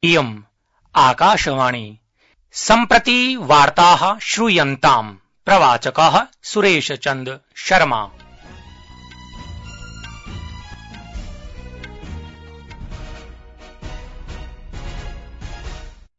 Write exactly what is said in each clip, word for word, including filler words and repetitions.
इयम् आकाशवाणी। सम्प्रति वार्ताः श्रूयन्ताम्। प्रवाचकः सुरेशचन्द्र शर्मा।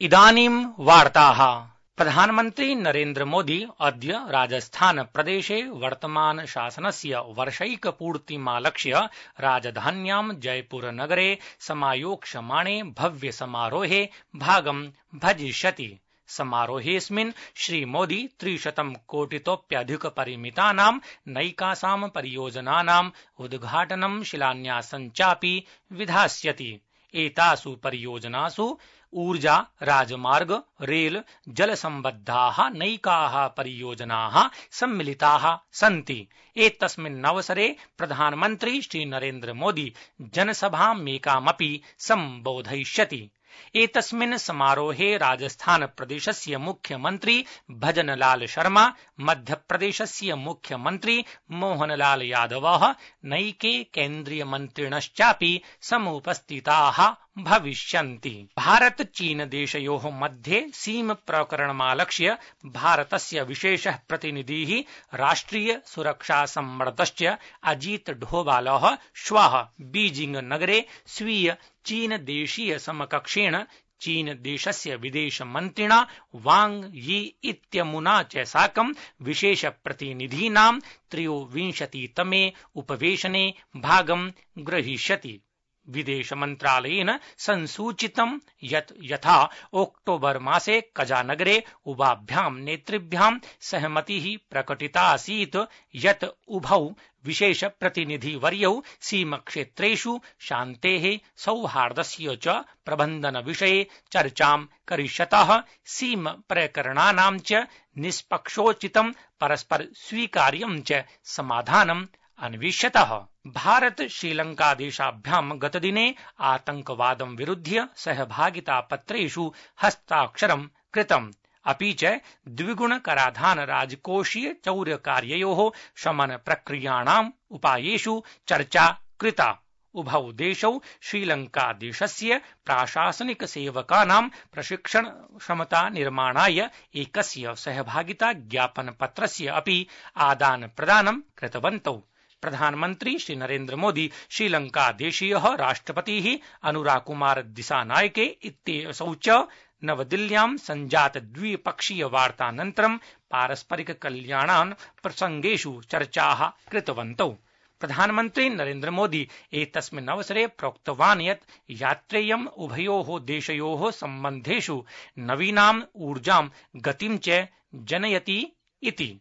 इदानीं वार्ताः। प्रधानमन्त्री नरेन्द्र मोदी अद्य राजस्थान प्रदेशे वर्तमान शासनस्य वर्षैकपूर्तिमालक्ष्य राजधान्यां जयपुर नगरे समायोक्ष्यमाणे भव्य समारोहे भागं भजिष्यति। समारोहेऽस्मिन् श्रीमोदी त्रिशतं कोटितोप्यधिकपरिमितानां नैकासां परियोजनानाम् उद्घाटनं शिलान्यासं चापि विधास्यति। एतासु परियोजनासु ऊर्जा, राजमार्ग, रेल, जलसम्बद्धाः नैकाः परियोजनाः सम्मिलिताः सन्ति। एतस्मिन्नवसरे प्रधानमन्त्री श्रीनरेन्द्र मोदी जनसभामेकामपि सम्बोधयिष्यति। एतस्मिन् समारोहे राजस्थान प्रदेशस्य मुख्यमन्त्री भजनलाल शर्मा, मध्यप्रदेशस्य मुख्यमन्त्री मोहनलाल यादवः, नैके केन्द्रीयमन्त्रिणश्चापि समुपस्थिताः भविष्यन्ति। भारत चीन देशयोः मध्ये सीम प्रकरणमालक्ष्य भारतस्य विशेषः प्रतिनिधिः राष्ट्रिय सुरक्षा सम्मर्दश्च अजीत डोभालः श्वः बीजिंग नगरे स्वीय चीन देशीय समकक्षेण चीन देशस्य विदेशमन्त्रिणा वांग यी इत्यमुना च साकं विशेष प्रतिनिधीनां त्रयोविंशतितमे उपवेशने भागं ग्रहीष्यति। विदेश मन्त्रालयेन संसूचितं यत् यथा अक्टोबर मासे कजानगरे उभाभ्यां नेतृभ्यां सहमतिः प्रकटितासीत् यत् उभौ विशेष प्रतिनिधिवर्यौ सीमक्षेत्रेषु शान्तेः सौहार्दस्य च प्रबन्धन विषये चर्चां करिष्यतः। सीम प्रकरणानां च निष्पक्षोचितं परस्पर स्वीकार्यं च समाधानम् अन्विष्यतः। भारत श्रीलंका देशाभ्यां गतदिने आतंकवादं विरुध्य सहभागितापत्रेषु हस्ताक्षरं कृतम्। अपि च द्विगुण कराधान राजकोषीय चौर्यकार्ययोः शमन प्रक्रियाणाम् उपायेषु चर्चा कृता। उभौ देशौ श्रीलंका देशस्य प्राशासनिक सेवकानां प्रशिक्षण क्षमता निर्माणाय एकस्य सहभागिता ज्ञापन पत्रस्य अपि आदान प्रदानं कृतवन्तौ। प्रधानमन्त्री श्री नरेन्द्र मोदी श्रीलंका देशीयः राष्ट्रपतिः अनुराग कुमार दिसानायके इत्यसौ च नवदिल्ल्यां सञ्जात द्विपक्षीय वार्तानन्तरं पारस्परिक कल्याणान् प्रसङ्गेषु चर्चाः कृतवन्तौ। प्रधानमन्त्री नरेन्द्र मोदी एतस्मिन् अवसरे प्रोक्तवान् यत् यात्रेयम् उभयोः देशयोः सम्बन्धेषु नवीनाम् ऊर्जां गतिं च जनयति इति।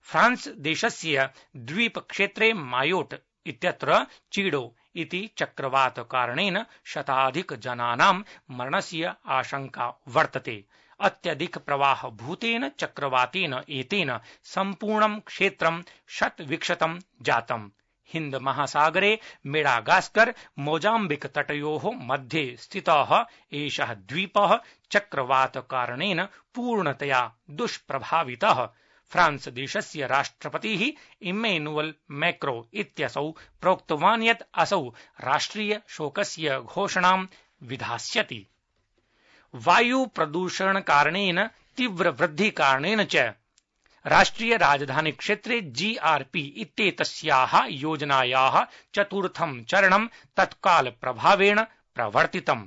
फ्रांस देशस्य द्वीपक्षेत्रे मायोट इत्यत्र चीडो इति चक्रवात कारणेन शताधिक जनानां मरणस्य आशंका वर्तते। अत्यधिक प्रवाह भूतेन चक्रवातेन एतेन सम्पूर्णं क्षेत्रं शतविक्षतं जातम्। हिन्द महासागरे मेडागास्कर मोजाम्बिक तटयोः मध्ये स्थितः एषः द्वीपः चक्रवात कारणेन पूर्णतया दुष्प्रभावितः। फ्रांस देशस्य राष्ट्रपतिः इम्मेनुअल मैक्रो इत्यसौ प्रोक्तवान् यत् असौ राष्ट्रिय शोकस्य घोषणां विधास्यति। वायु प्रदूषण कारणेन तीव्र वृद्धि कारणेन च राष्ट्रिय राजधानी क्षेत्रे जीआरपी इत्येतस्याः योजनायाः चतुर्थं चरणं तत्काल प्रभावेण प्रवर्तितम्।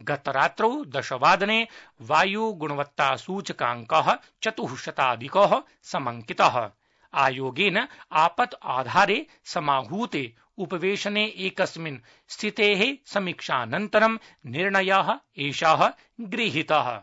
गतरात्रौ दशवादने वायुगुणवत्तासूचकाङ्कः चतुःशताधिकः समङ्कितः। आयोगेन आपत् आधारे समाहूते उपवेशने एकस्मिन् स्थितेः समीक्षानन्तरं निर्णयः एषः गृहीतः।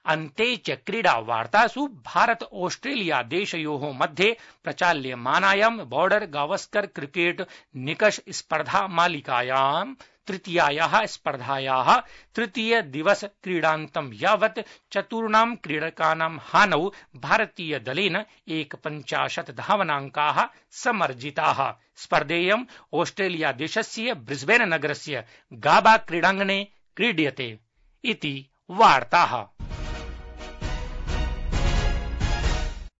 अन्ते च क्रीडा वार्तासु भारत ऑस्ट्रेलिया देशयोः मध्ये प्रचाल्यमानायां बॉर्डर गावस्कर क्रिकेट निकष स्पर्धा मालिकायां तृतीयायाः स्पर्धायाः तृतीय दिवस क्रीडान्तं यावत् चतुर्णां क्रीडकानां हानौ भारतीय दलेन एकपञ्चाशत् धावनाङ्काः समर्जिताः। स्पर्धेयं ऑस्ट्रेलिया देशस्य ब्रिस्बेन नगरस्य गाबा क्रीडाङ्गणे क्रीड्यते इति वार्ताः।